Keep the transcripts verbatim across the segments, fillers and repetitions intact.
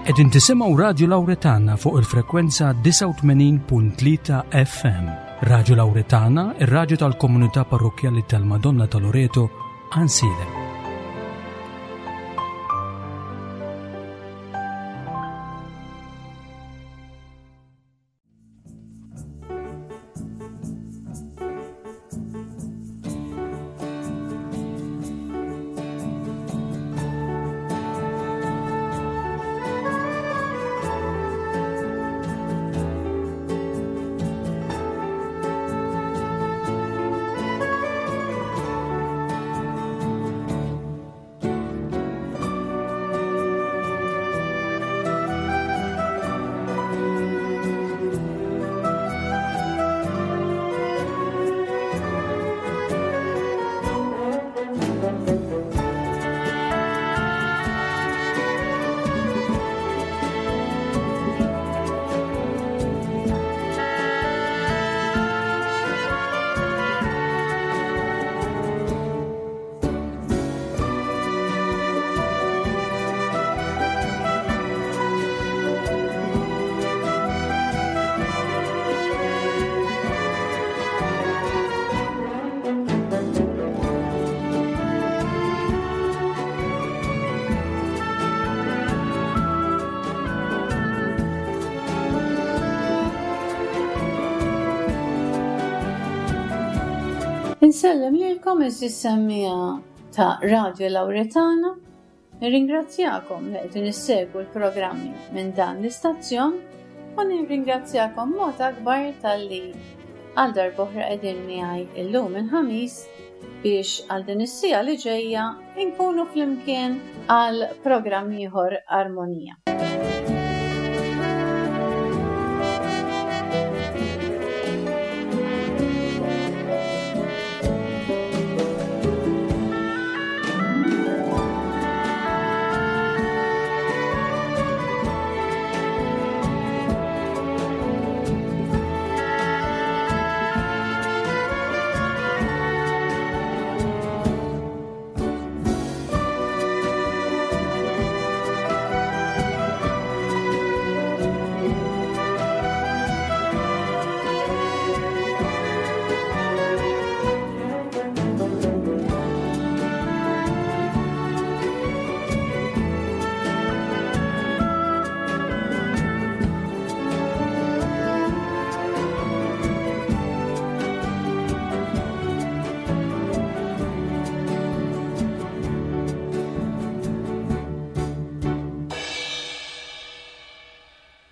Qegħdin tisimgħu Radio Lauretana fuq il-frekwenza disgħa u tmenin punt tlieta F M. Radio Lauretana, ir-radju tal-Komunità Parrokkjali tal-Madonna ta' Loreto, Għajnsielem. Insellem lilkom, għeżież semmiegħa ta' Radio Lauretana. Nirringrazzjakom li qegħdin issegwu l-programmi minn dan l-istazzjon u nirringrazzjakom mod akbar talli għal darb'oħra qegħdin miegħi illum il-Ħamis biex għal din is-siegħa li ġejja inkunu flimkien għal programm ieħor Armonija.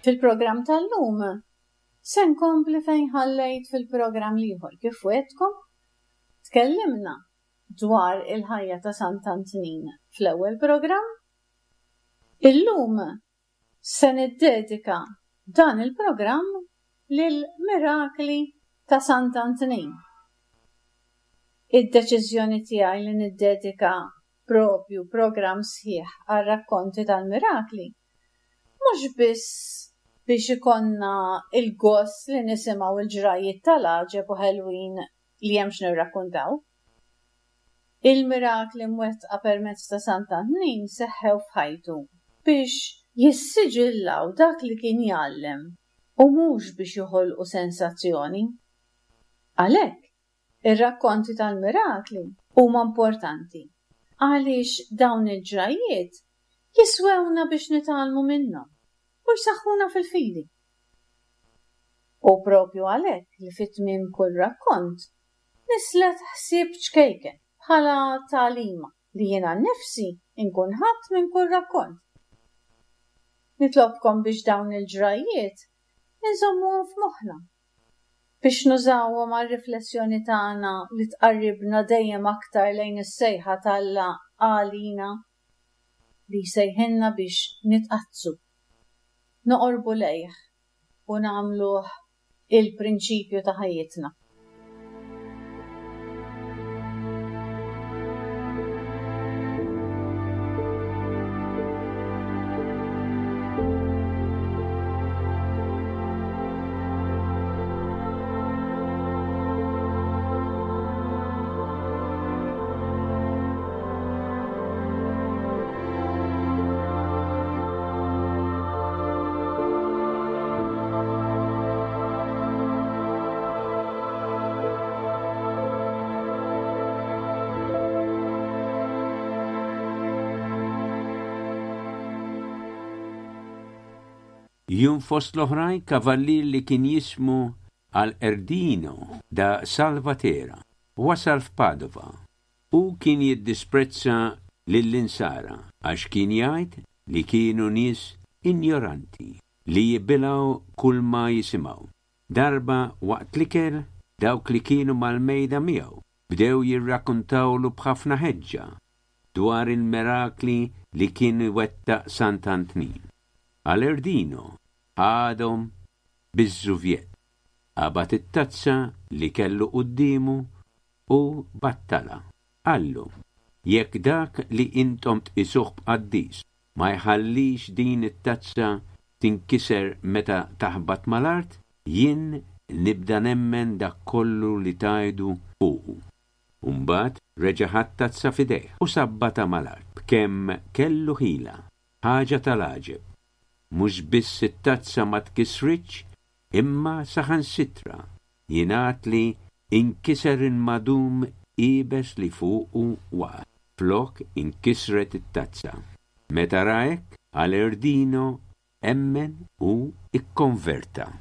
Fil-programm tal-lum se nkompli fejn ħallejt fil-programm l-ieħor. Kif wegħedtkom, tkellimna dwar il-ħajja ta' Sant'Antnin fl-ewwel programm. Illum se niddedika dan il-programm lil mirakli ta' Sant'Antnin. Id-deċiżjoni tiegħi li niddedika propju programm sħiħ għal rakkonti tal-mirakli mhux biss biex ikollna il-gost li nisimgħu il-ġrajiet tal-għaġeb u ħelwin li hemm x'nirrakkontaw. Il-mirakli mwettqa permezz ta' Sant'Antnin seħħew f'ħajtu biex jissiġillaw dak li kien jgħallem u mhux biex joħolqu sensazzjoni. Għalhekk, ir-rakkonti tal-mirakli huma importanti għaliex dawn il-ġrajiet jiswewna biex nitgħallmu minnhom u jsaħħuna fil-fidi. U propju għalhekk li fit-tmiem kull rakkont nislet ħsieb ċkejken bħala tagħlima li jiena nnifsi nkun ħadt minn kull rakkont. Nitlobkom biex dawn il-ġrajiet inżommuhom f'moħħna biex nużawhom għal riflessjoni tagħna li tqarribna dejjem aktar lejn is-sejħa t'Alla għalina li jsejħilna biex nitqaddsu, noqorbu lejh u nagħmluh il-prinċipju ta' ħajjitna. Jum fost l-oħrajn kavallier li kien jismu Alerdino da Salvatera wasal f'Padova. Hu kien jiddisprezza lill-insara għax kien jgħid li kienu nies injoranti li jibilgħu kull ma jisimgħu. Darba waqt l-ikel dawk li kienu mal-mejda miegħu bdew jirrakkuntawlu b'ħafna ħeġġa dwar il-mirakli li kien iwettaq Sant'Antnin. Alerdino ħadhom biż-żuvjet, qabad it-tazza li kellu quddiemu u battalha. Qallu, jekk dak li intom tqisuh b'qaddis ma jħallix din it-tazza tinkiser meta taħbat mal-art, jien nibda nemmen dak kollu li tgħidu fuqu. U mbagħad reġa' ħa t-tazza f'idejh u sabbatha mal-art b'kemm kellu ħila, ħaġa tal-għaġeb. Mhux biss it-tazza ma tkisritx, imma saħansitra jingħad li inkiser il-madum iebes li fuqu waqgħet, flok inkisret it-tazza. Meta ra hekk, Alerdino emmen u ikkonverta.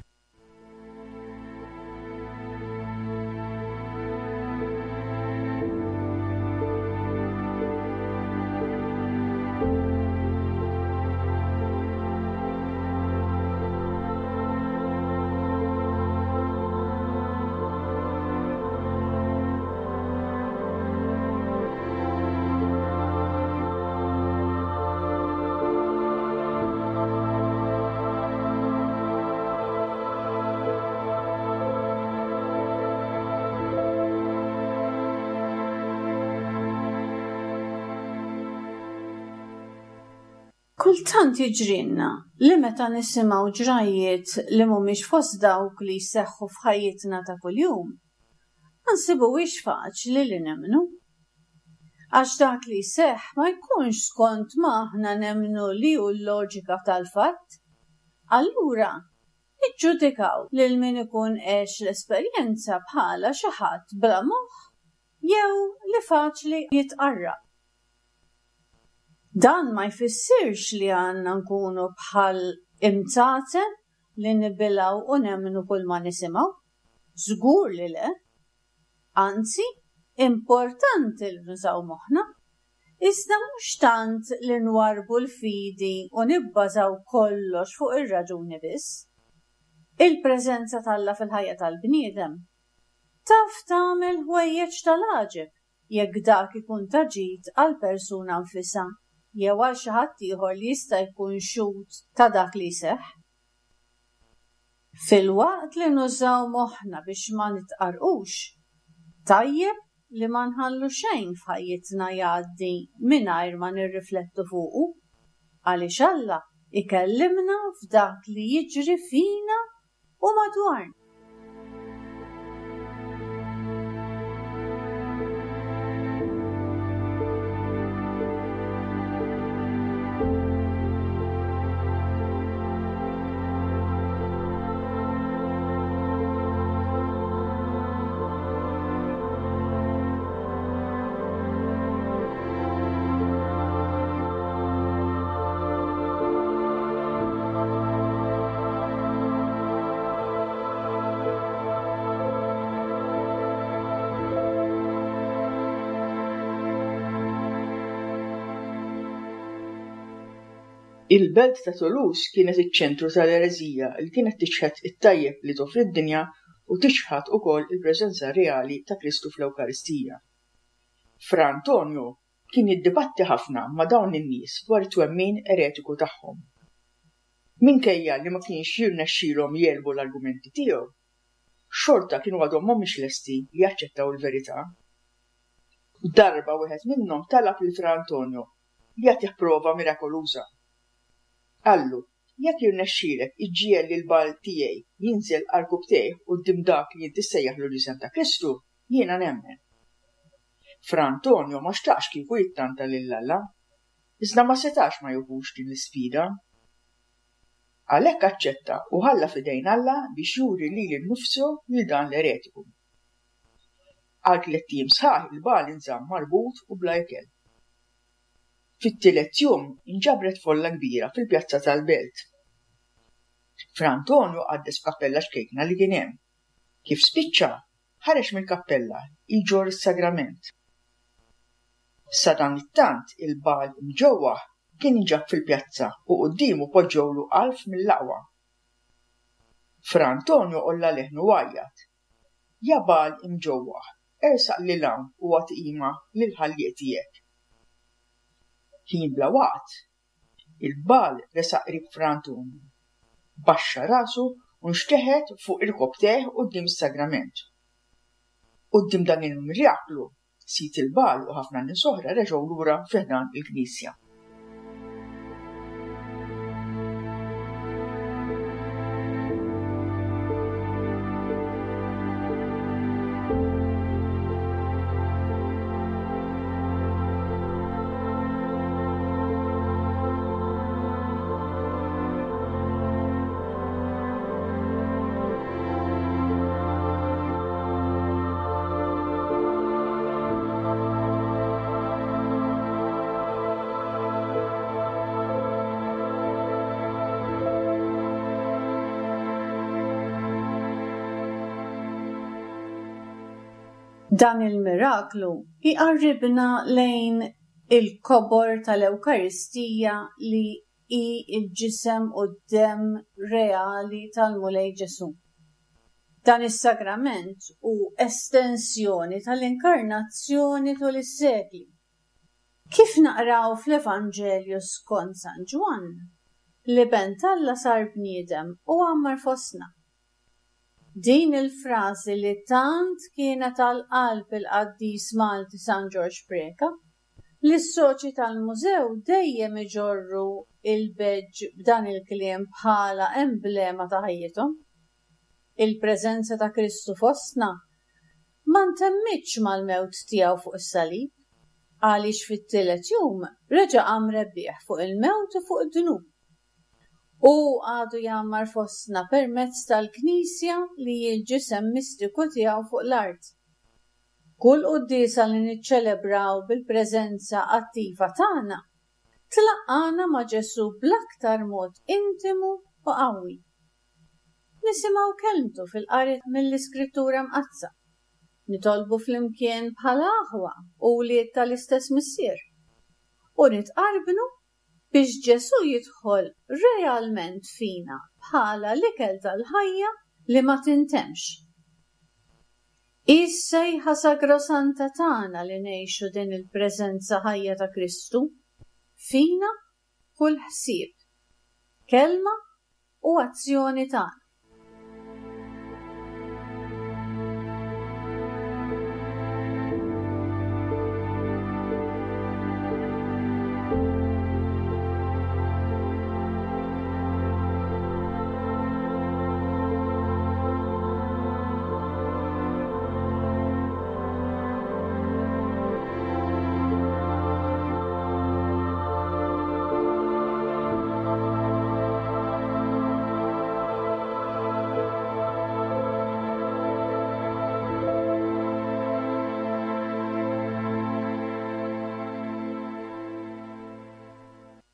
Kultant jiġrilna li meta nisimgħu ġrajjiet li mhumiex fost dawk li jseħħu f'ħajjitna ta' kuljum, ma nsibuhiex faċli li nemmnu. Għax dak li jseħħ ma jkunx skont ma aħna nemmnu li hu l-loġika tal-fatt. Allura, niġġudikaw lil min ikun għex l-esperjenza bħala xi ħadd bla moħħ jew li faċli jitqarraq. Dan ma jfissirx li għandna nkunu bħal imtaten li nibilgħu u nemmnu kull ma nisimgħu. Żgur li le. Anzi, importanti li nużaw moħħna. Iżda mhux tant li nwarrbu l-fidi u nibbażaw kollox fuq ir-raġuni biss. Il-preżenza t'Alla fil-ħajja tal-bniedem taf tagħmel ħwejjeġ tal-għaġeb jekk dak ikun ta' ġid għall-persuna nfisha jew għal xi ħadd ieħor li jista' jkun xhud ta' dak li jseħħ. Filwaqt li nużaw moħħna biex ma nitqarrqux, tajjeb li ma nħallu xejn f'ħajjitna jgħaddi mingħajr ma nirriflettu fuqu, għaliex Alla ikellimna f'dak li jiġri fina u madwarna. Il-belt ta' Toulouse kienet iċ-ċentru tal-ereżija li kienet tiċħad it-tajjeb li toffri d-dinja u tiċħad ukoll il-preżenza reali ta' Kristu fl-Ewkaristija. Fra Antonio kien jiddibatti ħafna ma' dawn in-nies dwar it-twemmin eretiku tagħhom. Minkejja li ma kienx jirnexxielhom jegħlbu l-argumenti tiegħu, xorta kienu għadhom mhumiex lesti li jaċċettaw il-verità. Darba wieħed minnhom talab lil Fra Antonio li jagħtih prova mirakoluża. Qallu, jekk jirnexxielek iġġiegħel lil bagħal tiegħi jinżel għarkupptejh quddiem dak li inti ssejjaħlu l-ġisem ta' Kristu, jiena nemmen. Fra Antonio ma xtaqx kieku jittanta lil Alla, iżda ma setax ma jieħux din l-isfida. Għalhekk aċċetta u ħalla f'idejn Alla biex juri lili nnifsu lil dan l-eretiku. Għal tliet ijiem sħaħ il-bagħal inżamm marbut u bla ikel. Fit-tielet jum inġabret folla kbira fil-pjazza tal-belt. Fra Antonio qaddes f'kappella ċkejkna li kien hemm. Kif spiċċa, ħareġ mill-kappella jġorr is-sagrament. Sadanittant il-Bagħal imġewwaħ kien inġab fil-pjazza u quddiemu poġġewlu għalf mill-aqwa. Fra Antonio għolla leħnu u għajjat: "Ja Bagħal imġewwaħ, ersaq lil hawn u agħti qima lill-Ħallieq tiegħek." Ħin bla waqt, il-Bagħal resaq qrib Fra Antonio, baxxa rasu u nxteħet fuq irkopptejh quddiem is-sagrament. Quddiem dan il-miraklu, sid il-Bagħal u ħafna nies oħra reġgħu lura fi ħdan il-knisja. Dan il-miraklu jqarribna lejn il-kobor tal-Ewkaristija li hi l-ġisem u d-demm reali tal-Mulej Ġesù. Dan is-sagrament hu estensjoni tal-inkarnazzjoni tul is-sekli. Kif naqraw fl-Evanġelju skont San Ġwann, l-Iben t'Alla sar bniedem u għammar fostna. Din il-frażi li tant kienet għal qalb il-qaddis Malti San Ġorġ Preca, li s-soċi tal-mużew dejjem iġorru il-badge b'dan il-kliem bħala emblema ta' ħajjithom. Il-preżenza ta' Kristu fostna ma ntemmitx mal-mewt tiegħu fuq is-salib, għaliex fit-tielet jum reġa' qam rebbieħ fuq il-mewt u fuq id-dnub. Hu għadu jgħammar fostna permezz tal-Knisja li hi l-ġisem mistiku tiegħu fuq l-art. Kull quddiesa li niċċelebraw bil-preżenza attiva tagħna tlaqqagħna ma' Ġesù bl-aktar mod intimu u qawwi. Nisimgħu kelmtu fil-qari mill-Iskrittura Mqaddsa. Nitolbu flimkien bħala aħwa u wlied tal-istess Missier. U nitqarbnu biex Ġesù jidħol realment fina bħala l-ikel tal-ħajja li ma tintemx. Hi s-sejħa sagrosanta tagħna li ngħixu din il-preżenza ħajja ta' Kristu fina kull ħsieb, kelma u azzjoni tagħna.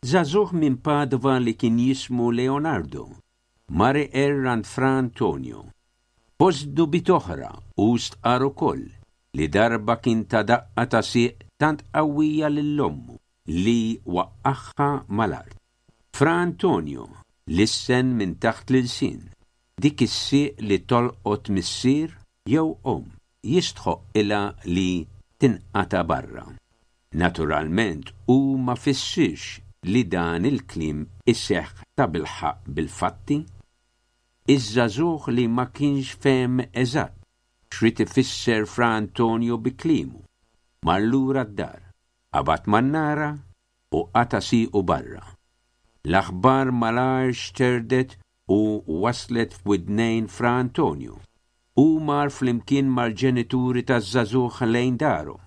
Żagħżugħ minn Padova li kien jismu Leonardo, mar iqerr għand Fra Antonio. Fost dubit oħra u stqar ukoll li darba kien ta daqqa ta' sieq tant qawwija lil ommu li waqqagħha mal-art. Fra Antonio lissen minn taħt l-ilsien, dik is-sieq li tolqot missier jew omm jistħoqqilha li tinqata' barra. Naturalment hu ma fissirx li dan il-kliem iseħħ ta' bilħaqq bil-fatti. Iż-żagħżugħ li ma kienx fehem eżatt x'rid ifisser Fra Antonio bi kliemu, mar lura d-dar, qabad mannara u qata' siequ barra. L-aħbar malajr xterdet u waslet f'widnejn Fra Antonio. Hu mar flimkien mal-ġenituri taż-żagħżugħ lejn daru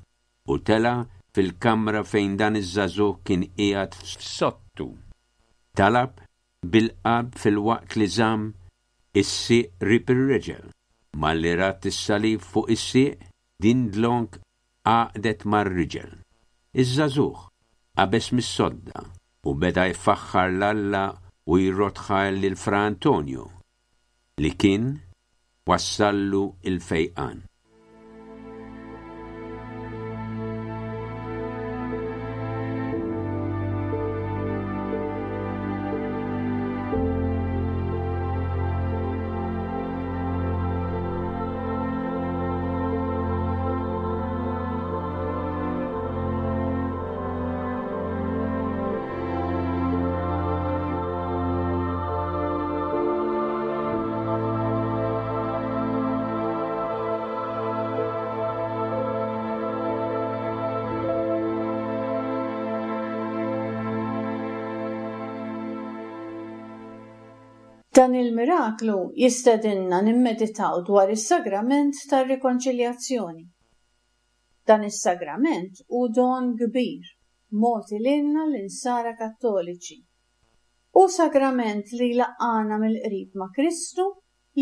u tela' fil-kamra fejn dan iż-żagħżugħ kien qiegħed f'sottu. Talab bil-qalb filwaqt li żamm is-sieq qrib ir-reġel. Malli rat is-salib fuq is-sieq, din dlonk għaqdet mar-riġel. Iż-żagħżugħ qabeż mis-sodda u beda jfaħħar 'l Alla u jrodd ħajr lil Fra Antonio li kien wassallu il-fejqan. Dan il-miraklu jistedinna nimmeditaw dwar is-sagrament tar-rikonċiljazzjoni. Dan is-sagrament hu don kbir mogħti lilna l-insara Kattoliċi. Hu sagrament li jlaqqagħna mill-qrib ma' Kristu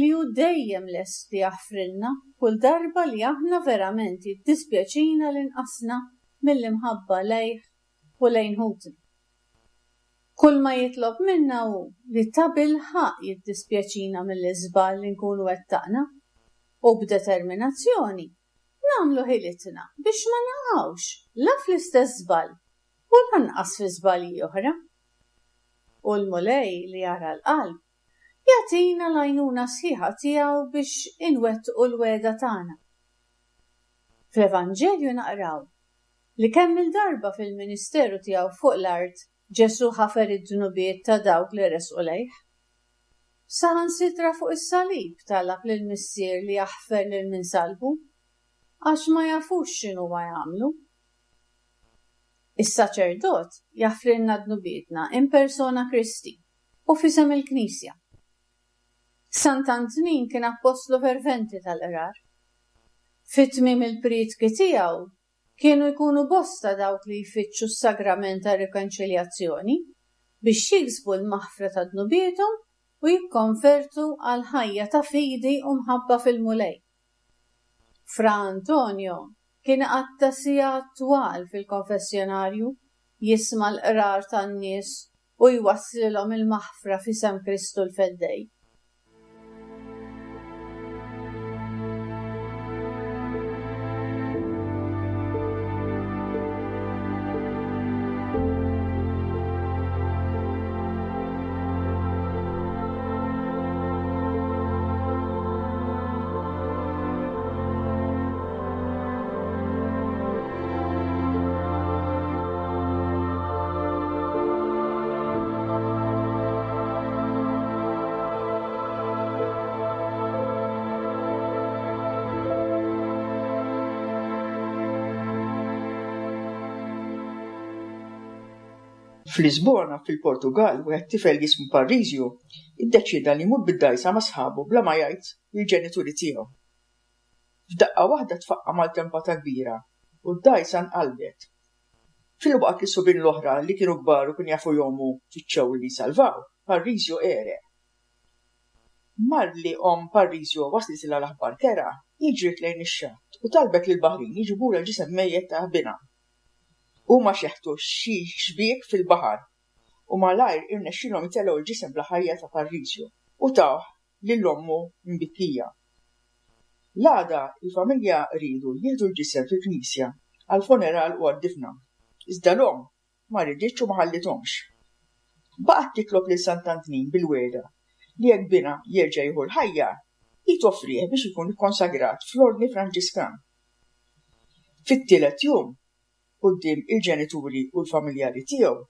li hu dejjem lest li jaħfrilna kull darba li aħna verament jiddispjaċina li nqasna mill-imħabba lejh u lejn ħutna. Kull ma jitlob minna hu li tabilħaqq jiddispjaċina mill-iżball li nkunu wettaqna u b'determinazzjoni nagħmlu ħilitna biex ma naqgħux la fl-istess żball u lanqas fi żbalji oħra. U l-Mulej li jara l-qalb jagħtina l-għajnuna sħiħa tiegħu biex inwettqu l-wegħda tagħna. Fl-Evanġelju naqraw li kemm il-darba fil-ministeru tiegħu fuq l-art Ġesù ħafer id-dnubiet ta' dawk li resqu lejh. Saħansitra fuq is-salib talab lill-Missier li jaħfer lil min salbu, għax ma jafux x'inhuma jagħmlu. Is-saċerdot jaħfrilna dnubietna in persona Christi u f'isem il-Knisja. Sant'Antnin kien appostlu ferventi tal-qrar. Fi tmiem il-prietki tiegħu kienu jkunu bosta dawk li jfittxu s-sagrament tar-rikonċiljazzjoni biex jiksbu l-maħfra ta' dnubiethom u jikkonvertu għal ħajja ta' fidi u mħabba fil-Mulej. Fra Antonio kien iqatta' sigħat twal fil-konfessjonarju jisma' l-qrar tan-nies u jwasslilhom il-maħfra f'isem Kristu l-Feddej. F'Lisbona, fil-Portugal, wieħed tifel jismu Parisio iddeċieda li jmur bid-dgħajsa ma' sħabu bla ma jgħid lill-ġenituri tiegħu. F'daqqa waħda tfaqqa' maltempata kbira u d-dgħajsa nqalbet. Filwaqt li subien l-oħra li kienu kbar u kienu jafu jgħumu fittxew li jsalvaw, Parisio għereq. Malli omm Parisio waslitilha l-aħbar kerha, hi ġriet lejn ix-xatt u talbet lill-baħrin jiġibulha l-ġisem mejjet ta' binha. Huma xeħtu xi xbiek fil-baħar u malajr irnexxielhom itellgħu l-ġisem bla ħajja ta' Parisio u tawh lil ommu mbikkija. L-għada il-familja riedu jieħdu l-ġisem fil-knisja għall-funeral u għad-difna, iżda l-omm ma riditx u ma ħallithomx. Baqgħet titlob lil Sant'Antnin bil-wegħda li jekk binha jerġa' jieħu l-ħajja, hi toffrih biex ikun ikkonsagrat fl-Ordni Franġiskan. Fit-tielet jum, quddiem il-ġenituri u l-familjari tiegħu,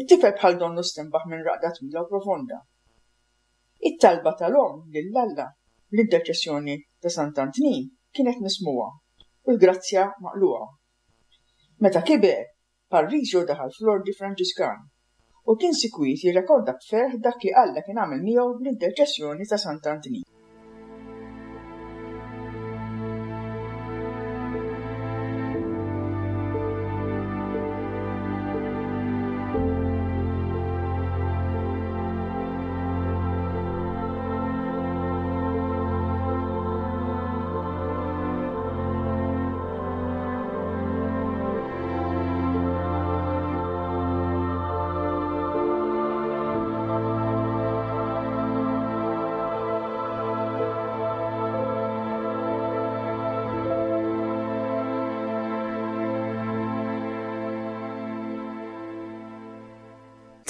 it-tifel bħal donnu stenbaħ minn raqda twila u profonda. It-talba tal-omm lil Alla bl-interċessjoni ta' Sant'Antnin kienet mismugħa u l-grazzja maqlugħa. Meta kiber, Parisio daħal fl-Ordni Franġiskan u kien sikwit jirrekorda b'ferħ dak li Alla kien għamel miegħu bl-interċessjoni ta' Sant'Antnin.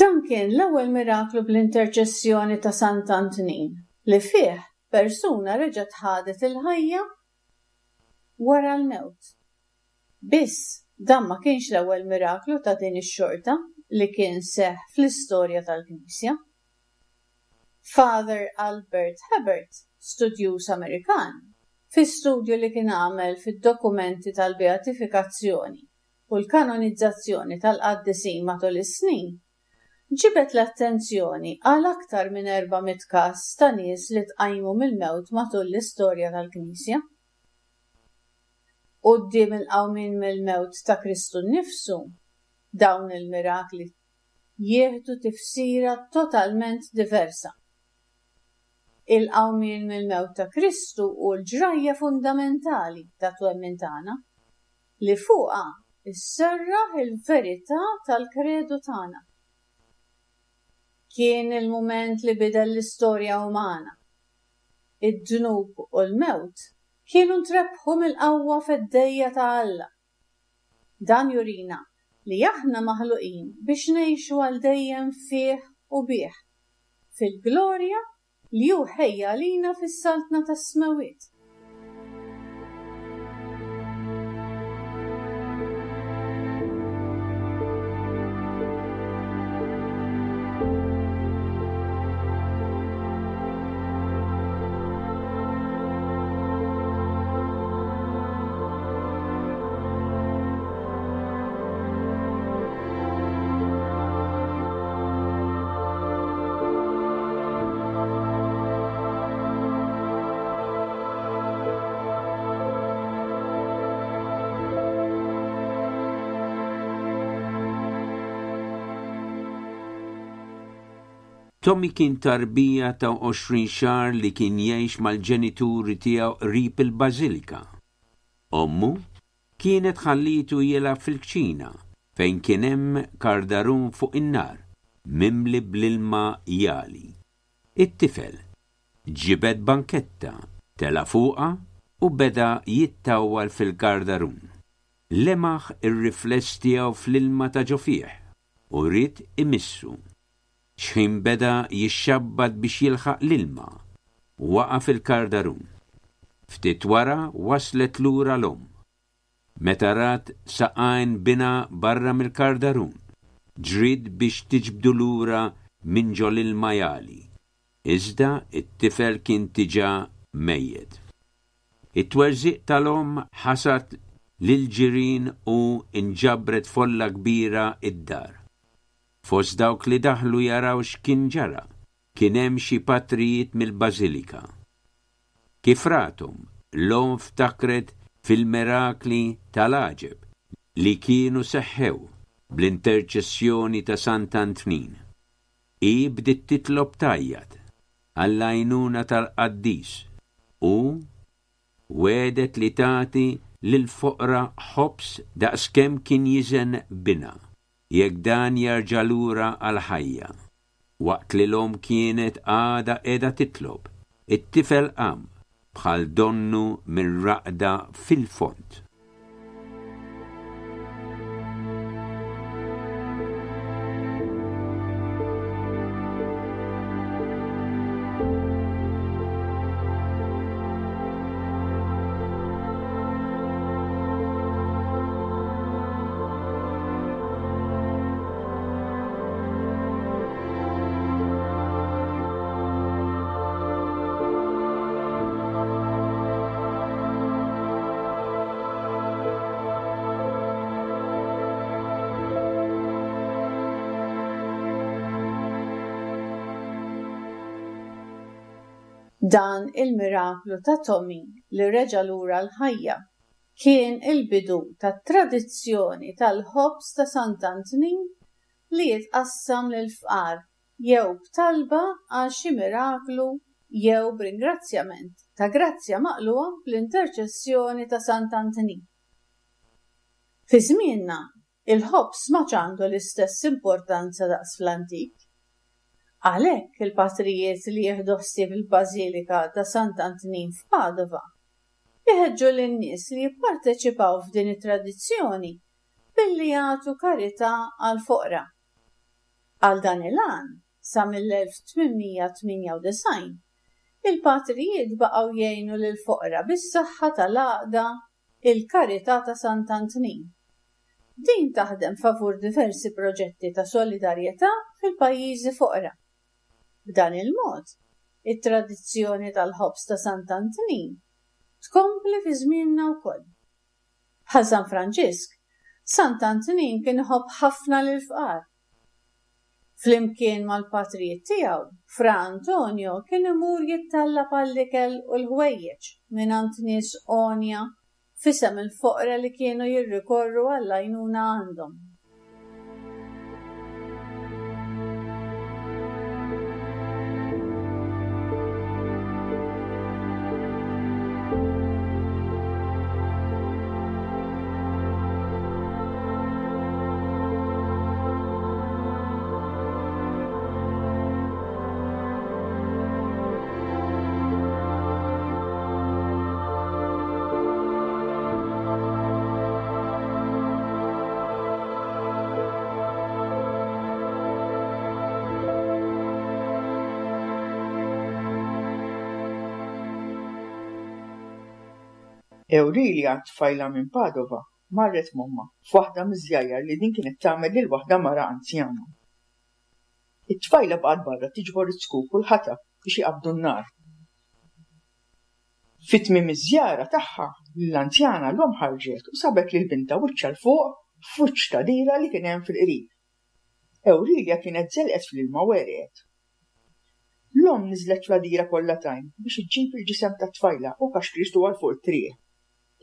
Dan kien l-ewwel miraklu bl-interċessjoni ta' Sant'Antnin li fih persuna reġgħet ħadet il-ħajja wara l-mewt. Biss dan ma kienx l-ewwel miraklu ta' din ix-xorta li kien seħħ fl-istorja tal-Knisja. Father Albert Hebert, studjuż Amerikan, fi studju li kien għamel fid-dokumenti tal-beatifikazzjoni u l-kanonizzazzjoni tal-qaddisin matul is-snin, ġibed l-attenzjoni għal aktar minn erba' mitt każ ta' nies li tqajmu mill-mewt matul l-istorja tal-Knisja. Quddiem il-qawmien mill-mewt ta' Kristu nnifsu, dawn il-mirakli jieħdu tifsira totalment diversa. Il-qawmien mill-mewt ta' Kristu hu l-ġrajja fundamentali tat-twemmin tagħna, li fuqha sserraħ il-verità tal-kredu tagħna. Kien il-mument li bidel l-istorja umana. Id-dnub u l-mewt kienu ntrebħu mill-qawwa feddejja ta' Alla. Dan jurina li aħna maħluqin biex ngħixu għal dejjem fih u bih, fil-glorja li hu ħejja għalina fis-saltna tas-smewwiet. Tommy kien tarbija ta' għoxrin xahar li kien jgħix mal-ġenituri tiegħu qrib il-Bażilika. Ommu kienet ħallitu jilgħab fil-kċina fejn kien hemm kardarun fuq in-nar mimli bl-ilma jali. It-tifel ġibed banketta, tela' fuqha u beda jittawwal fil-kardarun. Lemaħ ir-rifless tiegħu fl-ilma ta' ġo fih u ried imissu. Xħin beda jixxabbat biex jilħaq l-ilma, waqa' fil-kardarun. Ftit wara waslet lura l-omm. Meta rat saqajn bina barra mill-kardarun, ġrid biex tiġbdu lura minn ġol ilma jali. Iżda it-tifel kien diġà mejjet. It-twerżiq tal-omm ħasad lil ġirien u inġabret folla kbira id-dar. Fost dawk li daħlu jaraw x'kien ġara, kien hemm xi patrijiet mill-Bażilika. Kif rathom, l-omm ftakret fil-mirakli tal-għaġeb li kienu seħħew bl-interċessjoni ta' Sant'Antnin. Hi bdiet titlob tgħajjat għall-għajnuna tal-qaddis u wegħdet li tagħti lill-foqra ħobż daqskemm kien jiżen binha jekk dan jerġa' lura għall-ħajja. Waqt li l-omm kienet għadha qiegħda titlob, it-tifel qam bħal donnu minn raqda fil-fond. Dan il-miraklu ta' Tommy li reġa' lura l-ħajja kien il-bidu tat-tradizzjoni tal-ħobż ta' Sant'Antnin li jitqassam lill-fqar jew b'talba għal xi miraklu jew b'ringrazzjament ta' grazzja maqlugħa bl-interċessjoni ta' Sant'Antnin. Fi żmienna, il-ħobż ma għandu l-istess importanza daqs fl-antik. Għalhekk il-patrijiet li jieħdu ħsieb il-Bażilika ta' Sant'Antnin f'Padova iħeġġu lin-nies li jipparteċipaw f'din it-tradizzjoni billi jagħtu karità għall-foqra. Għal dan il-għan, sa mill-elf tmien mija tmienja u disgħin, il-patrijiet baqgħu jgħinu lill-foqra bis-saħħa tal-għaqda Il-Karità ta' Sant'Antnin. Din taħdem favur diversi proġetti ta' solidarjetà fil-pajjiżi foqra. B'dan il-mod, it-tradizzjoni tal-ħobż ta' Sant'Antnin tkompli fi żmienna wkoll. Bħal San Franġisk, Sant'Antnin kien iħobb ħafna lill-fqar. Flimkien mal-patrijiet tiegħu, Fra Antonio kien imur jittallab għall-ikel u l-ħwejjeġ mingħand nies għonja f'isem il-foqra li kienu jirrikorru għall-għajnuna għandhom. Ewrilja, tfajla minn Padova, marret m'ommha f'waħda miż-żjajjar li din kienet tagħmel lil waħda mara anzjana. It-tfajla baqgħet barra tiġbor iz-zkuk u l-ħatab biex iqabbdu n-nar. Fi tmiem iż-żjara tagħha lill-anzjana l-omm ħarġet u sabet lil bintha wiċċha 'l fuq f'wiċċ tagħdira li kien hemm fil-qrib. Ewrilja kienet żelqet fl-ilma u għerqet. L-omm niżlet fl-għadira kollha tajn biex iġġib il-ġisem tat-tfajla u kaxkritu għal fuq it-triq.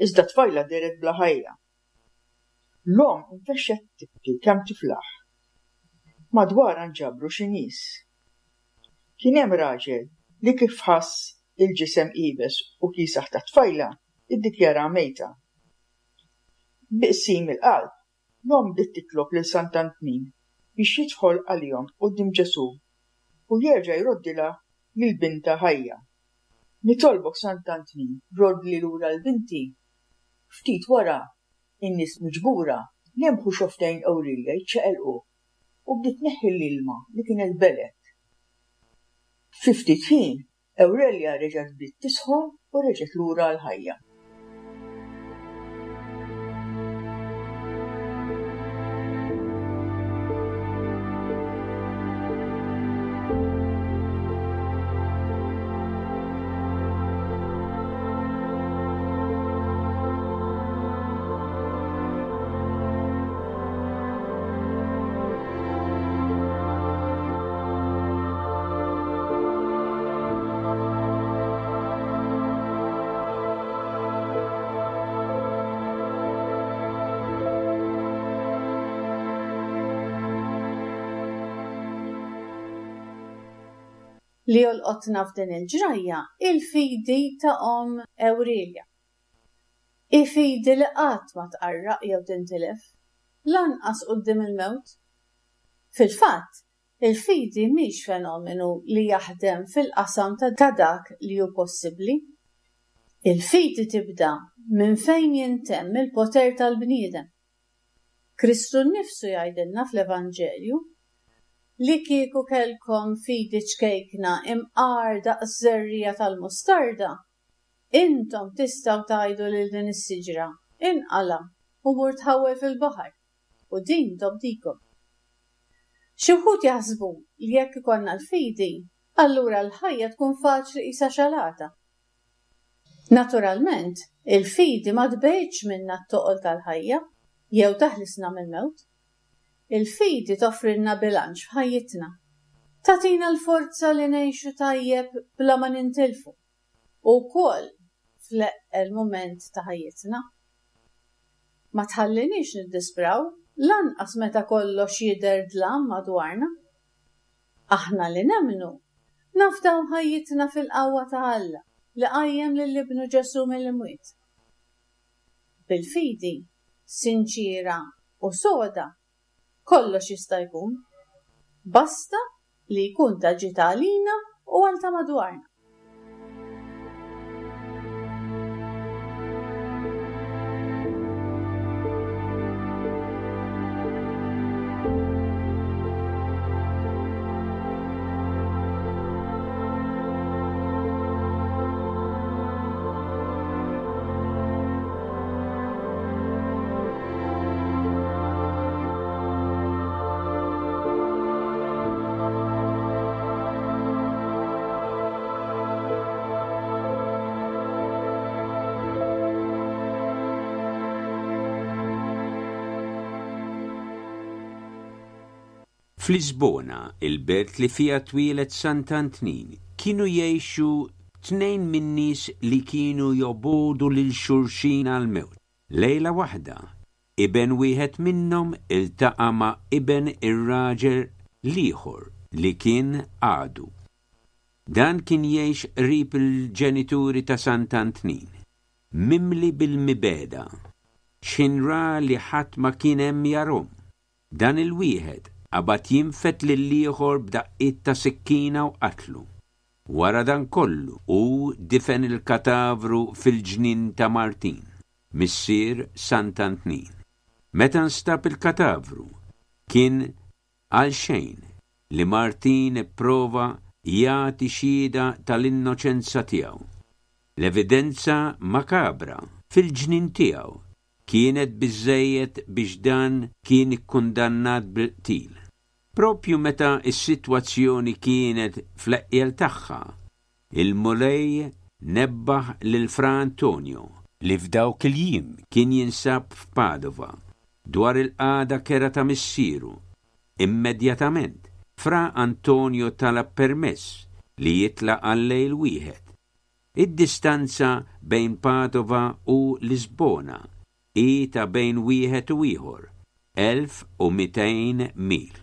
Iżda t-tfajla dehret bla ħajja. L-omm infexxet tibki kemm tiflaħ. Madwarha nġabru xi nies. Kien hemm raġel li kif ħass il-ġisem iebes u kiesaħ tat-tfajla iddikjara mejta. Bi qsim il-qalb, l-omm bdiet titlob lil Sant'Antnin biex jidħol għalihom quddiem Ġesù u jerġa' jroddilha lil bintha ħajja. Nitolbok Sant'Antnin, roddli lura l-binti. Ftit wara, in-nies miġbura lemħu xofftejn Ewrilja jiċċaqilqu u bdiet tneħħi l-ilma li kienet belet. Fi ftit ħin, Ewrilja reġgħet bdiet tisħon u reġgħet lura għall-ħajja. Li jolqotna f'din il-ġrajja il-fidi ta' omm Ewrilja. I-fidi li qatt ma tqarraq jew tintilef, lanqas quddiem il-mewt. Fil-fatt, il-fidi mhix fenomenu li jaħdem fil-qasam ta' dak li hu possibbli. Il-fidi tibda minn fejn jintemm il-poter tal-bniedem. Kristu nnifsu jgħidilna fl-Evanġelju li kieku kellkom fidi ċkejkna imqar daqs żerriegħa tal-mustarda, intom tistgħu tgħidu lil din is-siġra, inqala' u mur tħawwel fil-baħar, u din tobdikom. Xi wħud jaħsbu li jekk ikollna l-fidi, allura l-ħajja tkun faċli qisha xalata. Naturalment, il-fidi ma tbegħidx minna t-toqol tal-ħajja jew taħlisna mill-mewt. Il-fidi toffrilna bilanċ f'ħajjitna. Tagħtina l-forza li ngħixu tajjeb bla ma nintilfu, u wkoll fl-eqqel mument ta' ħajjitna. Ma tħalliniex niddispraw lanqas meta kollox jidher dlam madwarna. Aħna li nemmnu nafdaw ħajjitna fil-qawwa ta' Alla li qajjem lil Ibnu Ġesù mill-imwiet. Bil-fidi sinċira u soda kollox jista' jkun, basta li jkun ta' ġid għalina u għal ta' madwarna. F'Lisbona, il-belt li fiha twieled Sant'Antnin, kienu jgħixu tnejn min-nies li kienu jobogħdu lil xulxin għall-mewt. Lejla waħda, iben wieħed minnhom iltaqa' ma' iben ir-raġel l-ieħor li kien għadu. Dan kien jgħix qrib il-ġenituri ta' Sant'Antnin, mimli bil-mibegħda, x'ħin ra li ħadd ma kien hemm jarhom. Dan il-wieħed qabad jinfed lill-ieħor b'daqqiet ta' sikkina u qatlu. Wara dan kollu hu difen il-katavru fil-ġnien ta' Martin, missier Sant'Antnin. Meta nstab il-katavru, kien għalxejn li Martin ipprova jagħti xhieda tal-innoċenza tiegħu. L-evidenza makabra fil-ġnien tiegħu kienet biżżejjed biex dan kien ikkundannat bil-qtil. Propju meta s-sitwazzjoni kienet fl-eqjel tagħha, il-Mulej nebbaħ lil Fra Antonio li f'dawk il-jiem kien jinsab f'Padova dwar il-qagħda kerha ta' missieru. Immedjatament, Fra Antonio talab permess li jitlaq għal lejl wieħed. Id-distanza bejn Padova u Lisbona hi ta' bejn wieħed u ieħor, elf u mitejn mil.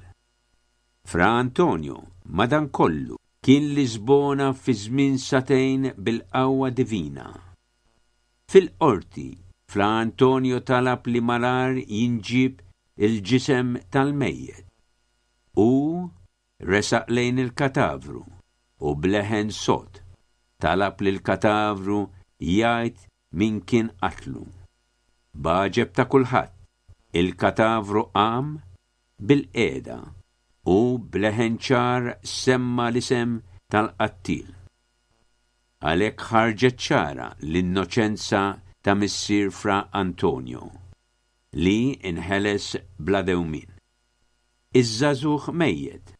Fra Antonio, madankollu, kien Lisbona fi żmien sagħtejn bil-qawwa divina. Fil-qorti, Fra Antonio talab li malar jinġib il-ġisem tal-mejjet. U resaq lejn il-katavru u bleħen sod talab li l-katavru jgħid min kien qatlu. B'għaġeb ta' kulħadd, il-katavru qam bil-qiegħda u bleħen ċar semma l-isem tal-qattil. Għalhekk ħarġet ċara l-innoċenza ta' missier Fra Antonio, li inħeles bla dewmien. Iż-żagħżugħ mejjet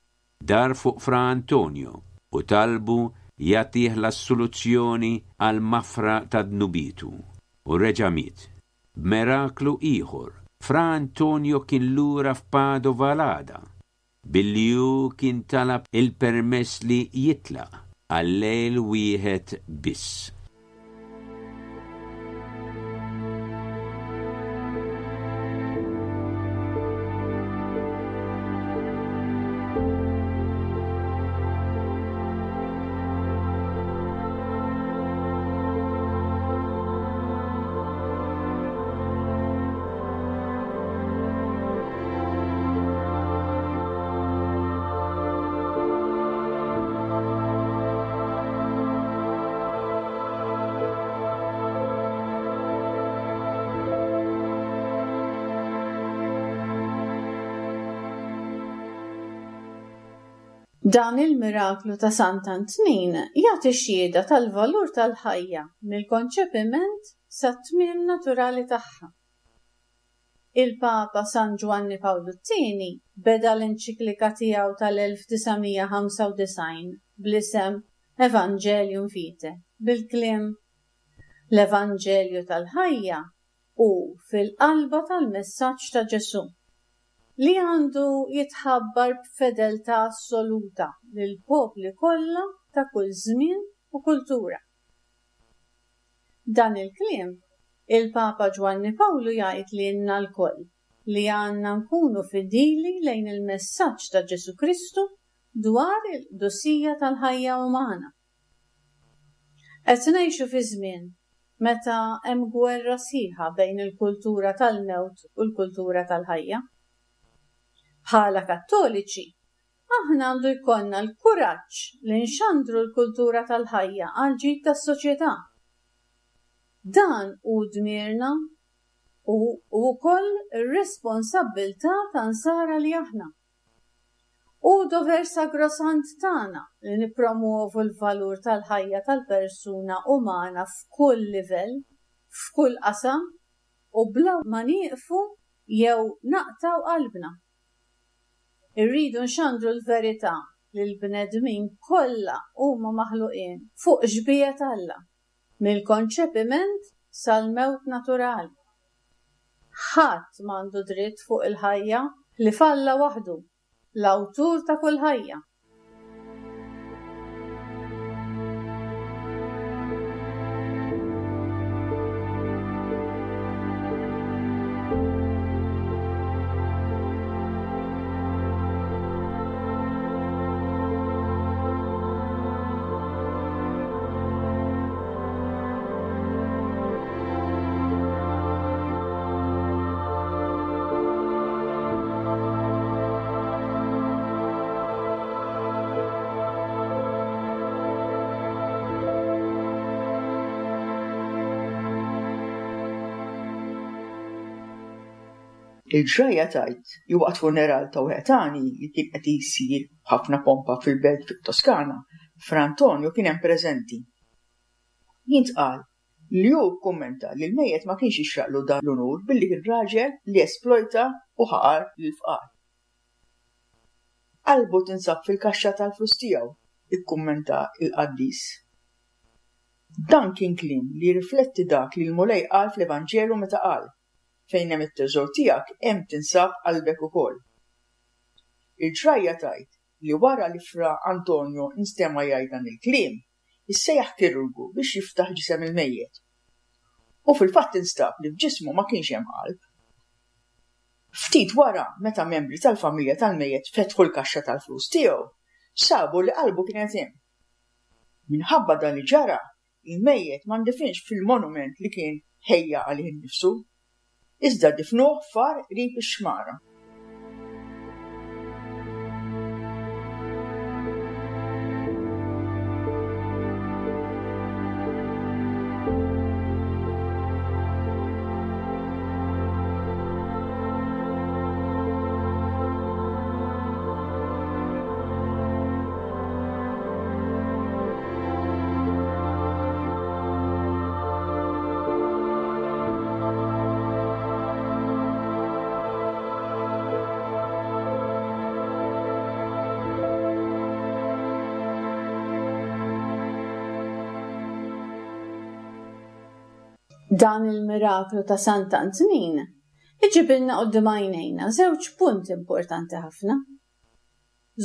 dar fuq Fra Antonio u talbu jagħtih l-assoluzzjoni għal mafra ta' dnubitu u reġa' miet. B'miraklu ieħor, Fra Antonio kien lura f'Padova l-għada, billi hu kien talab il-permess li jitlaq għal lejl wieħed biss. Dan il-miraklu ta' Sant'Antnin jagħti xhieda tal-valur tal-ħajja mill-konċepiment sat-tmiem naturali tagħha. Il-Papa San Ġwanni Pawlu t-tieni beda l-enċiklika tiegħu tal-elf disa' mija ħamsa u disgħin bl-isem Evangelium Vitae bil-kliem L-Evanġelju tal-ħajja hu fil-qalba tal-messaġġ ta' Ġesù, li għandu jitħabbar b'fedeltà assoluta lill-popli kollha ta' kull żmien u kultura. Dan il-kliem, il-Papa Ġwanni Pawlu jgħid lilna lkoll li għandna nkunu fidili lejn il-messaġġ ta' Ġesù Kristu dwar il-qdusija tal-ħajja umana. Qed ngħixu fi żmien meta hemm gwerra sħiħa bejn il-kultura tal-mewt u l-kultura tal-ħajja. Bħala Kattoliċi, aħna għandu jkollna l-kuraġġ li nxandru l-kultura tal-ħajja għal ġid tas-soċjetà. Dan hu dmirna u wkoll ir-responsabbiltà ta' nsara li aħna. Hu dover sagrosant tagħna li nippromuovu l-valur tal-ħajja tal-persuna umana f'kull livell, f'kull qasam u bla ma nieqfu jew naqtaw qalbna. Irridu nxandru l-verità li l-bnedmin kollha huma maħluqin fuq xbieha Alla, mill-konċepiment sal-mewt naturali. Ħadd m'għandu dritt fuq il-ħajja li falla waħdu, l-awtur ta' kull ħajja. Il-ġrajja tgħid li waqt funeral ta' wieħed għani li kien qed isir b'ħafna pompa fil-belt fit-Toskana, Fra Antonio kien hemm preżenti. Jintqal li hu kkummenta li l-mejjet ma kienx jixraqlu dan l-unur billi kien raġel li esplojta u ħaqar lill-fqar. Qalbu tinsab fil-kaxxa tal-flus tiegħu, ikkummenta l-qaddis. Dan kien kliem li jirrifletti dak li l-Mulej qal fl-Evanġelu meta qal: Fejn hemm it-teżor tiegħek hemm tinsab qalbek ukoll. Il-ġrajja tgħid li wara li Fra Antonio nstema' jgħid dan il-kliem, issejjaħ kirurgu biex jiftaħ ġisem il-mejjet. U fil-fatt instab li f'ġismu ma kienx hemm qalb. Ftit wara, meta membri tal-familja tal-mejjet fetħu l-kaxxa tal-flus tiegħu, sabu li qalbu kienet hemm. Minħabba dan li ġara, il-mejjet ma ndifinx fil-monument li kien ħejja għalih innifsu, iżda difnuh f'għar qrib ix-xmara. Dan il-miraklu ta' Sant'Antnin iġibilna quddiem għajnejna żewġ punti importanti ħafna.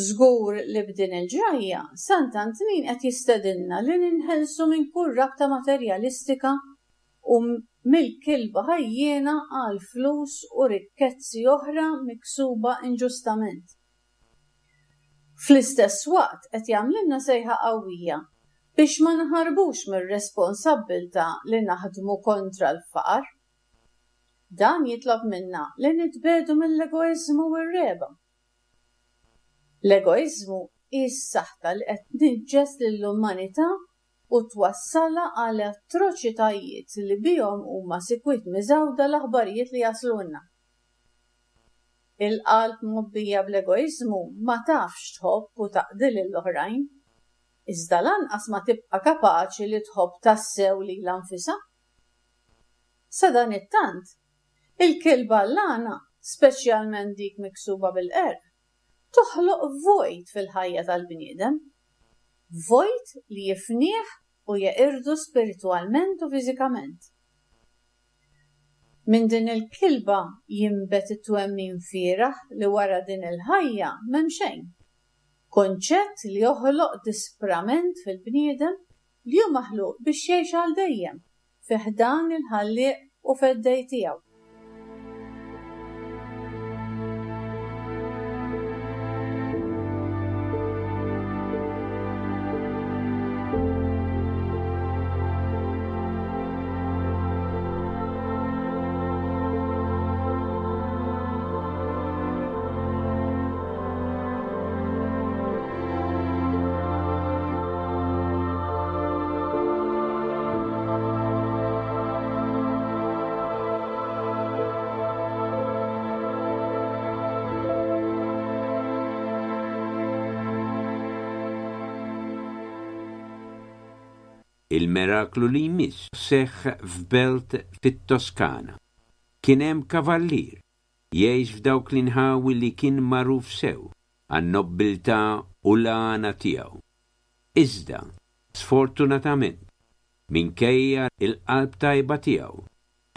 Żgur li b'din il-ġrajja Sant'Antnin qed jistedinna li ninħelsu minn kull rabta materjalistika u mill-kilba ħajjiena għal flus u rikkezzi oħra miksuba inġustament. Fl-istess waqt qed jagħmlilna sejħa qawwija biex ma naħarbux mir-responsabbiltà li naħdmu kontra l-faqar. Dan jitlob minna li nitbedu mill-egoiżmu u r-regħba. L-egoiżmu hi s-saħta li qed tniġġes lill-umanità u twassalha għal atroċitajiet li bihom huma sikwit miżgħuda l-aħbarijiet li jaslulna. Il-qalb mgħobbija bl-egoiżmu ma tafx tħobb u taqdi lill-oħrajn, iżda lanqas ma tibqa' kapaċi li tħobb tassew lilha nfisha. Sadanittant, il-kilba l-għana, speċjalment dik miksuba bil-qerq, toħloq vojt fil-ħajja tal-bniedem, vojt li jifnih u jeqirdu spiritwalment u fiżikament. Minn din il-kilba jinbet it-twemmin fieragħ li wara din il-ħajja m'hemm xejn. Konċett li joħloq disprament fil-bniedem li hu maħluq biex jgħix għal dejjem fi ħdan il-ħallieq u feddej tiegħu. Il-miraklu li jmiss seħħ f'belt fit-Toskana. Kien hemm kavallier jgħix f'dawk l-inħawi li kien magħruf sew għan-nobbiltà u l-għana tiegħu. Iżda, sfortunatament, minkejja il-qalb tajba tiegħu,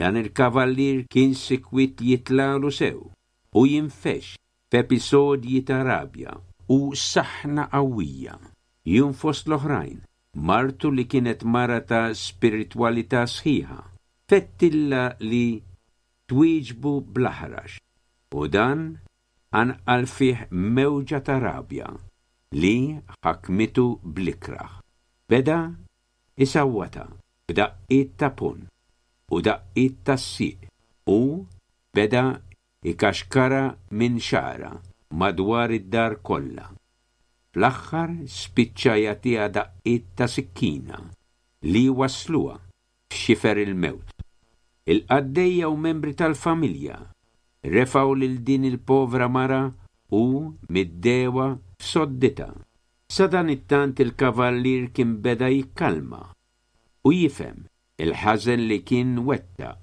dan il-kavallier kien sikwit jitlalu sew u jinfexx f'episodji ta' rabja u saħna qawwija. Jum fost l-oħrajn, martu li kienet mara ta' spiritwalità sħiħa, fettilla li twieġbu bl-aħrax, u dan anqal fih mewġa ta' rabja li ħakmitu bl-ikrah. Beda isawwata b'daqqiet ta' pun u daqqiet ta' sieq u beda ikaxkara minn xara madwar id-dar kollha. Fl-aħħar spiċċa jagħtiha daqqiet ta' sikkina li wasluha f'xifer il-mewt. Il-qaddejja u membri tal-familja refgħu lil din il-povra mara u middewha f'sodditha. Sadanittant il-kavallier kien beda jikkalma u jifhem il-ħażen li kien wettaq,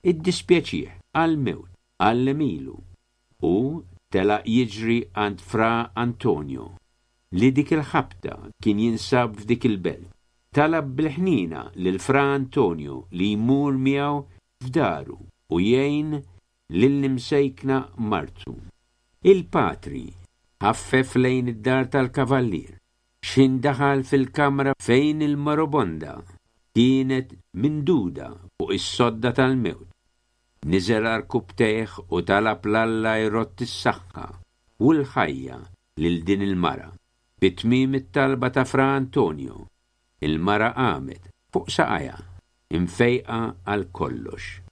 iddispjaċih għall-mewt, għall-għemilu, u telaq jiġri għand Fra Antonio li dik il-ħabta kien jinsab f'dik il-belt. Talab bil-ħnina lil Fra Antonio li jmur miegħu f'daru u jgħin lill-imsejkna martu. Il-patri ħaffef lejn id-dar tal-kavallier, x'ħin daħal fil-kamra fejn il-moribonda kienet minduda fuq is-sodda tal-mewt. Niżel għarkupptejh u talab 'l Alla jrodd is-saħħa u l-ħajja lil din il-mara. Fi tmiem it-talba ta' Fra Antonio, il-mara qamet fuq saqajha, imfejqa għal kollox.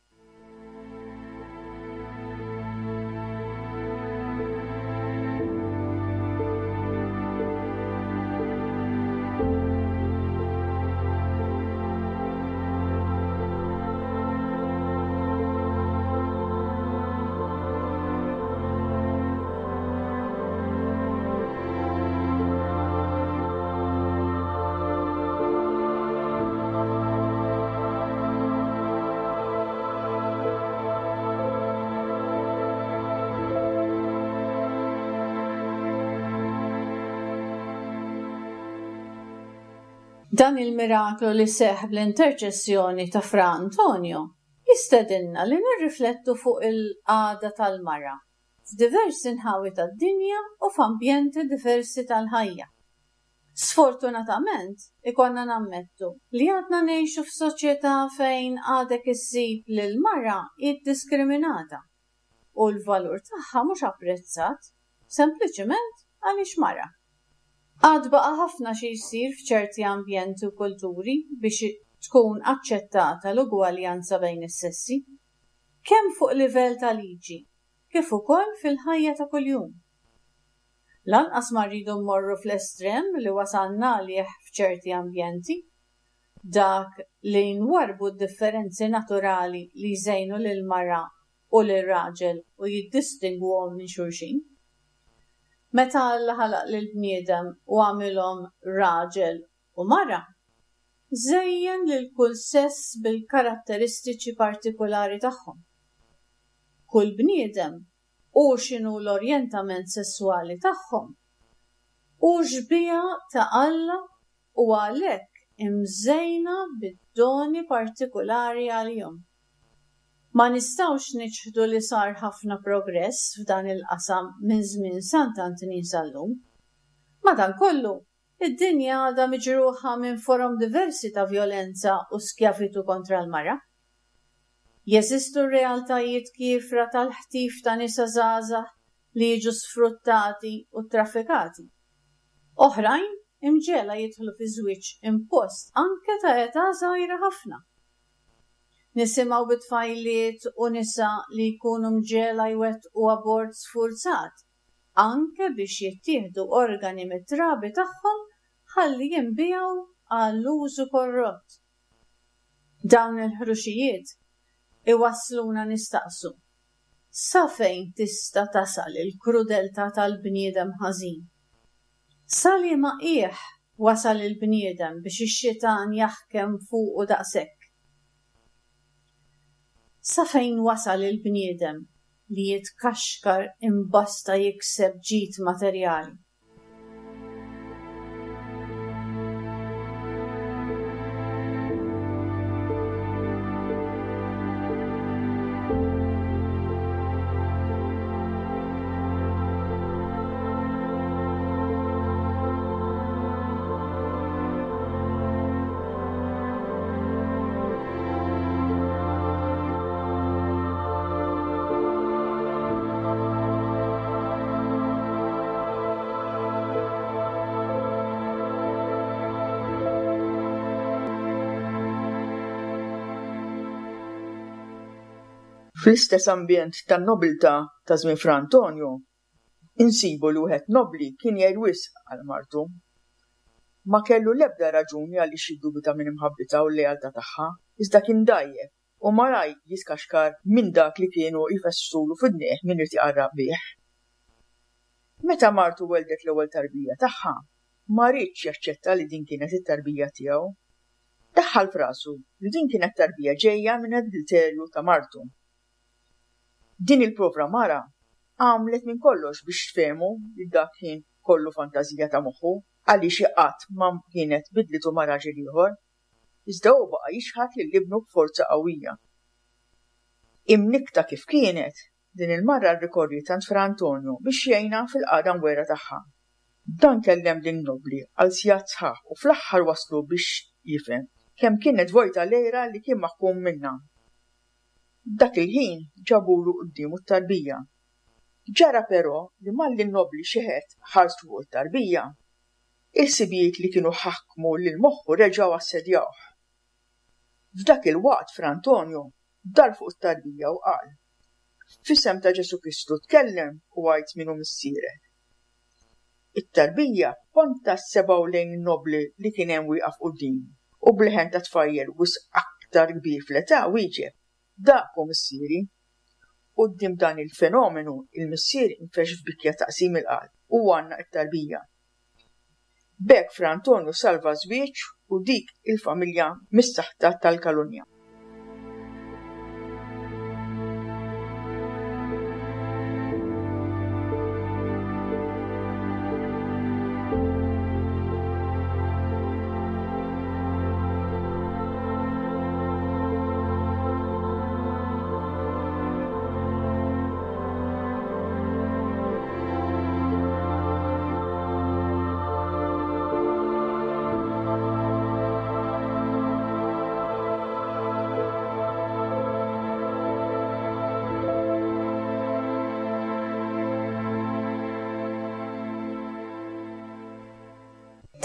Dan il-miraklu li seħħ bl-interċessjoni ta' Fra Antonio jistedinna li nirriflettu fuq il-qagħda tal-mara f'diversi nħawi tad-dinja u f'ambjenti diversi tal-ħajja. Sfortunatament, ikollna nammettu li għadna ngħixu f'soċjetà fejn għadek issib li l-mara hi diskriminata u l-valur tagħha mhux apprezzat sempliċiment għaliex mara. Għad baqa' ħafna xi jsir f'ċerti ambjenti u kulturi biex tkun aċċettata l-ugwaljanza bejn is-sessi, kemm fuq livell ta' liġi, kif ukoll fil-ħajja ta' kuljum. Lanqas ma rridu mmorru fl-estrem li wasalna għalih f'ċerti ambjenti, dak li nwarbu d-differenzi naturali li jżejnu lil mara u lil raġel u jiddistingwuhom minn xulxin. Meta Alla ħalaq lill-bniedem u għamilhom raġel u mara, żejjen lil kull sess bil-karatteristiċi partikolari tagħhom. Kull bniedem u x'inhu l-orjentament sesswali tagħhom hu xbieha ta' Alla u għalhekk imżejna bid-doni partikolari għalihom. Ma nistgħux niċħdu li sar ħafna progress f'dan il-qasam minn żmien Sant'Antnin sal-lum. Madankollu, id-dinja għadha miġruħa minn forom diversi ta' vjolenza u skjavitu kontra l-mara. Jeżistu realtajiet kiefra tal-ħtif ta' nisa żgħażagħ li jiġu sfruttati u traffikati. Oħrajn imġegħla jidħlu fi żwieġ impost anke ta' età żgħira ħafna. Nisimgħu bi tfajliet u nisa li jkunu mġegħla jwettqu abort sfurzat, anke biex jittieħdu organi mit-trabi tagħhom ħalli jinbiegħu għall-użu korrott. Dawn il-ħruxijiet iwassluna nistaqsu. Sa fejn tista' tasal il-krudeltà tal-bniedem ħażin? Sa liema qiegħ wasal il-bniedem biex ix-xitan jaħkem fuqu daqshekk? Sa fejn wasal il-bniedem li jitkaxkar imbasta jikseb ġid materjali? Fl-istess ambjent tan-nobiltà ta' żmien Fra Antonio, insibu li wieħed nobbli kien jgħir wisq għal martu. Ma kellu l-ebda raġuni għaliex jiddubita minn imħabbitha u l-lealtà tagħha, iżda kien dgħajjef u malajr jitkaxkar minn dak li kienu jfessulu f'idnejh min irid iqarraq bih. Meta martu weldet l-ewwel tarbija tagħha, ma riedx jaċċetta li din kienet it-tarbija tiegħu. Daħħal f'rasu li din kienet tarbija ġejja minn adulterju ta' martu. Din il-povra mara għamlet minn kollox biex tfehmu li dak kien kollu fantażija ta' moħħu għaliex hi qatt ma kienet bidlitu ma' raġel ieħor. Iżda hu baqa' jixħat lil ibnu b'forza qawwija. Imnikkta kif kienet, din il-mara rrikorriet għand Fra Antonio biex jgħinha fil-qagħda mwera tagħha. Dan kellem lin-nobbli għal sigħat sħaħ u fl-aħħar wasslu biex jifhem kemm kienet vojta l-għira li kien maħkum minnha. Dak il-ħin ġabulu quddiemu t-tarbija. Ġara però li malli n-nobbli xeħet ħarstu fuq it-tarbija, il-ħsibijiet li kienu ħakmu lil moħħu reġgħu assedjawh. F'dak il-waqt Fra Antonio dar fuq it-tarbija u qal: F'isem ta' Ġesù Kristu tkellem u għid min hu missierek. It-tarbija ponta sebgħu lejn in-nobbli li kien hemm wieqaf quddiemu u b'leħen ta' tfajjel wisq aktar kbir fl-età wieġeb: Dak hu missieri. Quddiem dan il-fenomenu, il-missier infexx f'bikja ta' qsim il-qalb u għannaq it-tarbija. B'hekk Fra Antonio salva żwieġ u dik il-familja mis-saħta tal-kalunja.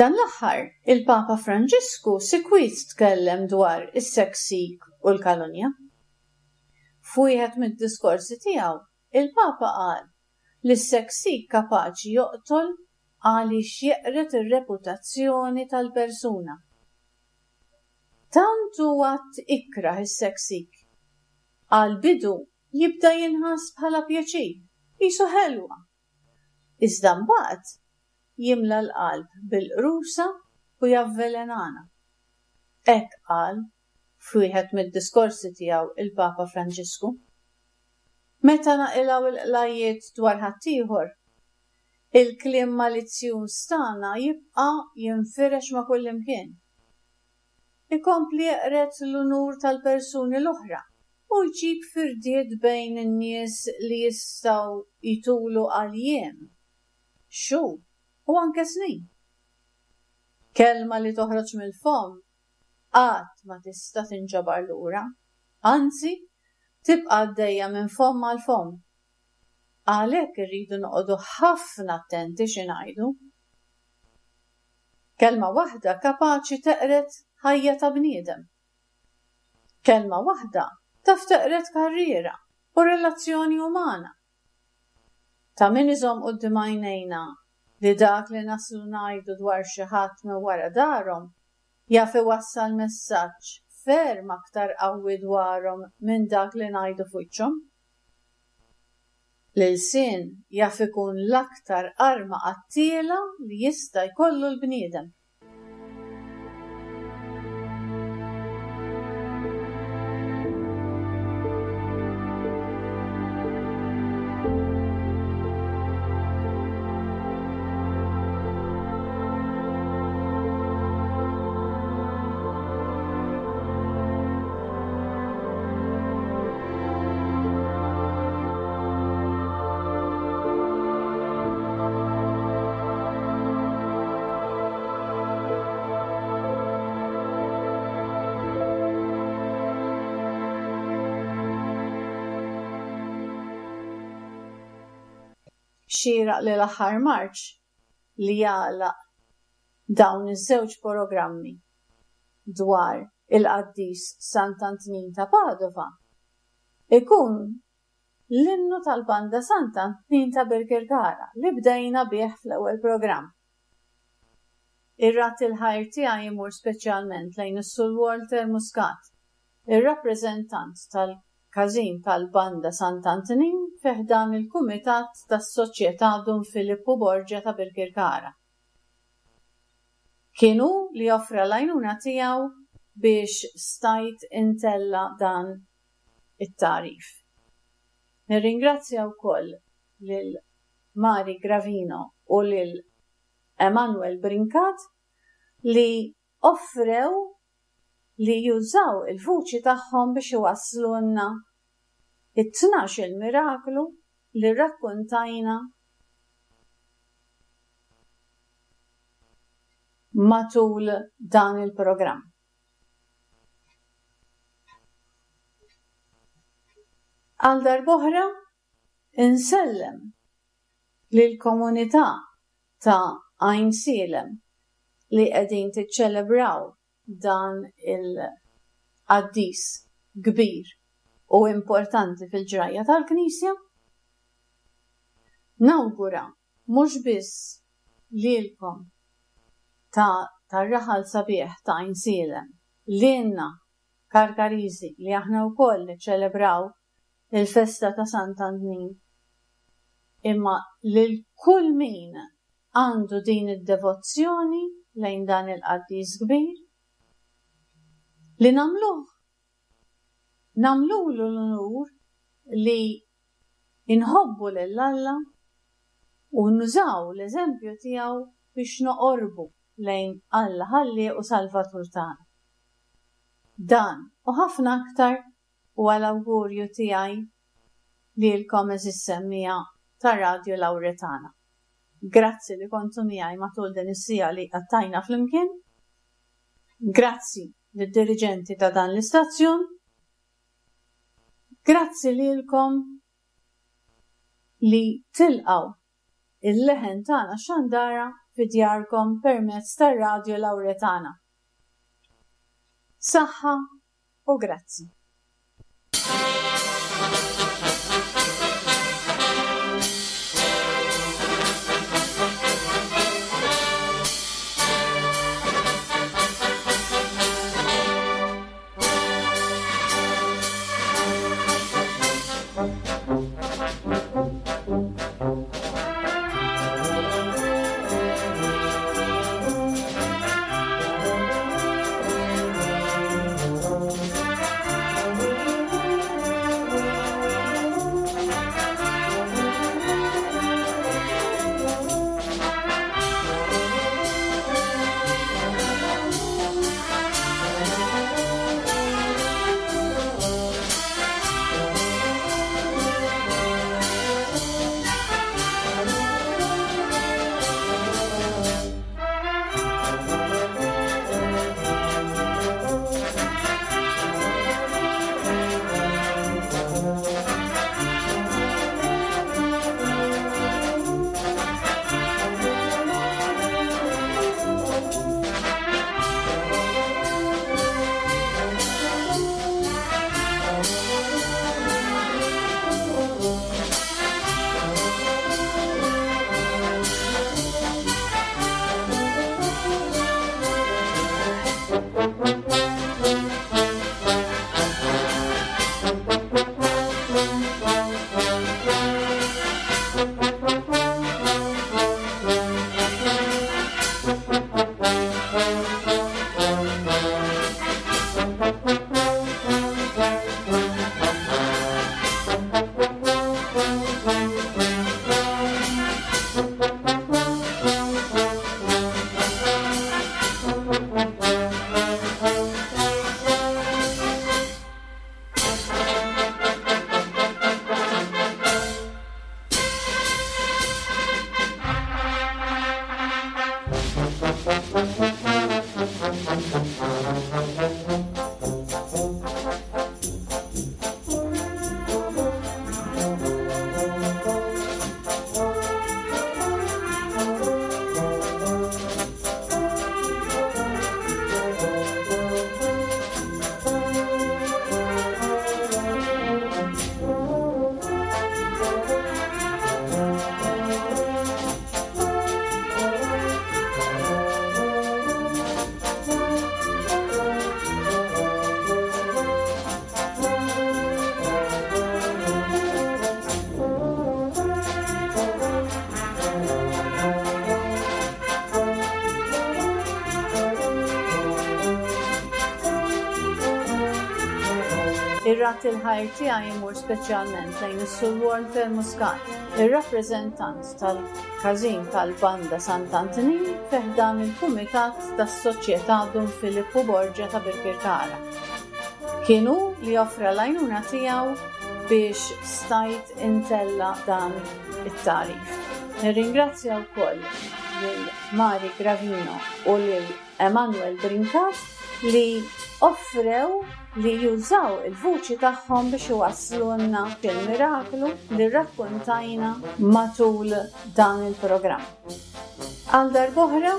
Dan l-aħħar, il-Papa Franġisku sikwit tkellem dwar is-seksik u l-kalunja. F'wieħed mid-diskorsi tiegħu, il-Papa qal li s-seksik kapaċi joqtol għaliex jeqred ir-reputazzjoni tal-persuna. Tant huwa ikrah is-seksik. Għall-bidu jibda jinħass bħala pjaċir, qisu ħelwa. Iżda mbagħad jimla l-qalb bil-qrusa u javvelenana. Hekk qal f'wieħed mid-diskorsi tiegħu il-Papa Franġisku. Meta naqilgħu l-qlajiet dwar ħaddieħor, il-kliem malizzjuż tagħna jibqa' jinfirex ma' kullimkien. Ikompli jeqred l-unur tal-persuni l-oħra u jġib firdiet bejn in-nies li jistgħu jtulu għal jiem, xhur u anke snin. Kelma li toħroġ mill-fomm qatt ma tista' tinġabar lura, anzi tibqa' għaddejja minn fomm għal fomm. Għalhekk irridu noqogħdu ħafna attenti xi ngħidu. Kelma waħda kapaċi teqred ħajja ta' bniedem. Kelma waħda taf teqred karriera u relazzjoni umana. Ta' min iżomm quddiem għajnejna li dak li naslu ngħidu dwar xi ħadd minn wara darhom jaf iwassal messaġġ ferm aktar qawwi dwarhom minn dak li ngħidu f'wiċċhom. L-ilsien jaf ikun l-aktar arma qattiela li jista' jkollu l-bniedem. Xieraq li l-aħħar marċ li jagħlaq dawn iż-żewġ programmi dwar il-qaddis Sant'Antnin ta' Padova ikun l-innu tal-Banda Sant'Antnin ta' Birkirkara li bdejna bih fl-ewwel programm. Ir-radd il-ħajr tiegħi jmur speċjalment lejn is-Sur Walter Muscat, ir-rappreżentant tal-Każin tal-Banda Sant'Antnin fi ħdan il-Kumitat tas-Soċjetà Dun Filippu Borgia ta' Birkirkara. Kien hu li offra l-għajnuna tiegħu biex stajt intella dan it-tagħrif. Nirringrazzja wkoll lil Mari Gravino u lil Emanuel Brincat li offrew li jużaw il-vuċi tagħhom biex iwasslulna it-tnax-il miraklu li rrakkuntajna matul dan il-programm. Għal darb'oħra insellem lill-komunità ta' Għajnsielem li qegħdin tiċċelebraw dan il-qaddis kbir u importanti fil-ġrajja tal-Knisja. Nawgura mhux biss lilkom ta' tar-raħal sabiħ ta' Għajnsielem, lilna Karkariżi li aħna wkoll niċċelebraw il-festa ta' Sant'Antnin, imma lil kull min għandu din id-devozzjoni lejn dan il-qaddis kbir, li nagħmluh, nagħmlulu l-unur li inħobbu lil Alla u nużaw l-eżempju tiegħu biex noqorbu lejn Alla Ħallieq u Salvatur tagħna. Dan u ħafna aktar huwa l-awgurju tiegħi lilkom għeżież semmiegħa ta' Radio Lauretana. Grazzi li kontu miegħi matul din is-siegħa li qattajna flimkien. Grazzi lid-diriġenti ta' dan l-istazzjon. Grazzi lilkom li tilqgħu il-leħen tagħna xandara fi djarkom permezz tar-Radio Lauretana. Saħħa u grazzi. Thank you. Ir-radd il-ħajr tiegħi jmur speċjalment lejn is-Sur Walter Muscat, ir-rappreżentant tal-Każin tal-Banda Sant'Antnin fi ħdan il-Kumitat tas-Soċjetà Dun Filippu Borgia ta' Birkirkara. Kien hu li offra l-għajnuna tiegħu biex stajt intella' dan it-tagħrif. Nirringrazzja wkoll lil Mari Gravino u lil Emanuel Brincat li offrew li jużaw il-vuċi tagħhom biex iwasslulna il-miraklu li rrakkontajna matul dan il-programm. Għal darb'oħra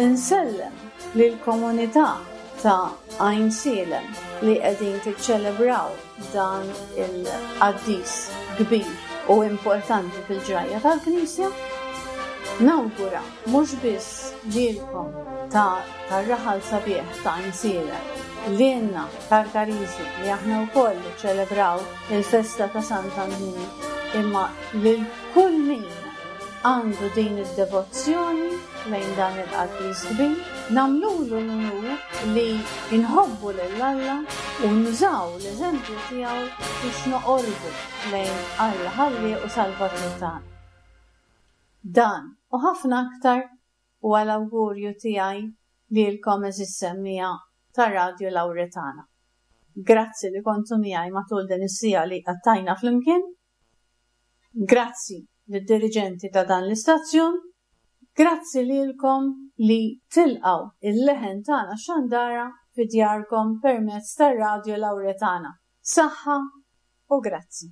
insellem lill-komunità ta' Għajnsielem li qegħdin tiċċelebraw dan il-qaddis kbir u importanti fil-ġrajja tal-Knisja. Nawgura mhux biss lilkom ta' tar-raħal sabiħ ta' Għajnsielem, lilna Karkariżi li aħna wkoll niċċelebraw il-festa ta' Sant'Antnin, imma lil kull min għandu din id-devozzjoni lejn dan il-qaddis kbir, nagħmlulu l-unur li nħobbu lil Alla u nużaw l-eżempju tiegħu biex noqorbu lejn Alla Ħallieq u Salvatur tagħna. Dan u ħafna aktar huwa l-awgurju tiegħi lilkom għeżież semmiegħa ta' Radio Lauretana. Grazzi li kontu miegħi matul din is-siegħa li qattajna flimkien. Grazzi lid-diriġenti ta' dan l-istazzjon. Grazzi lilkom li tilqgħu il-leħen tagħna xandara fi djarkom permezz tar-Radio Lauretana. Saħħa u grazzi.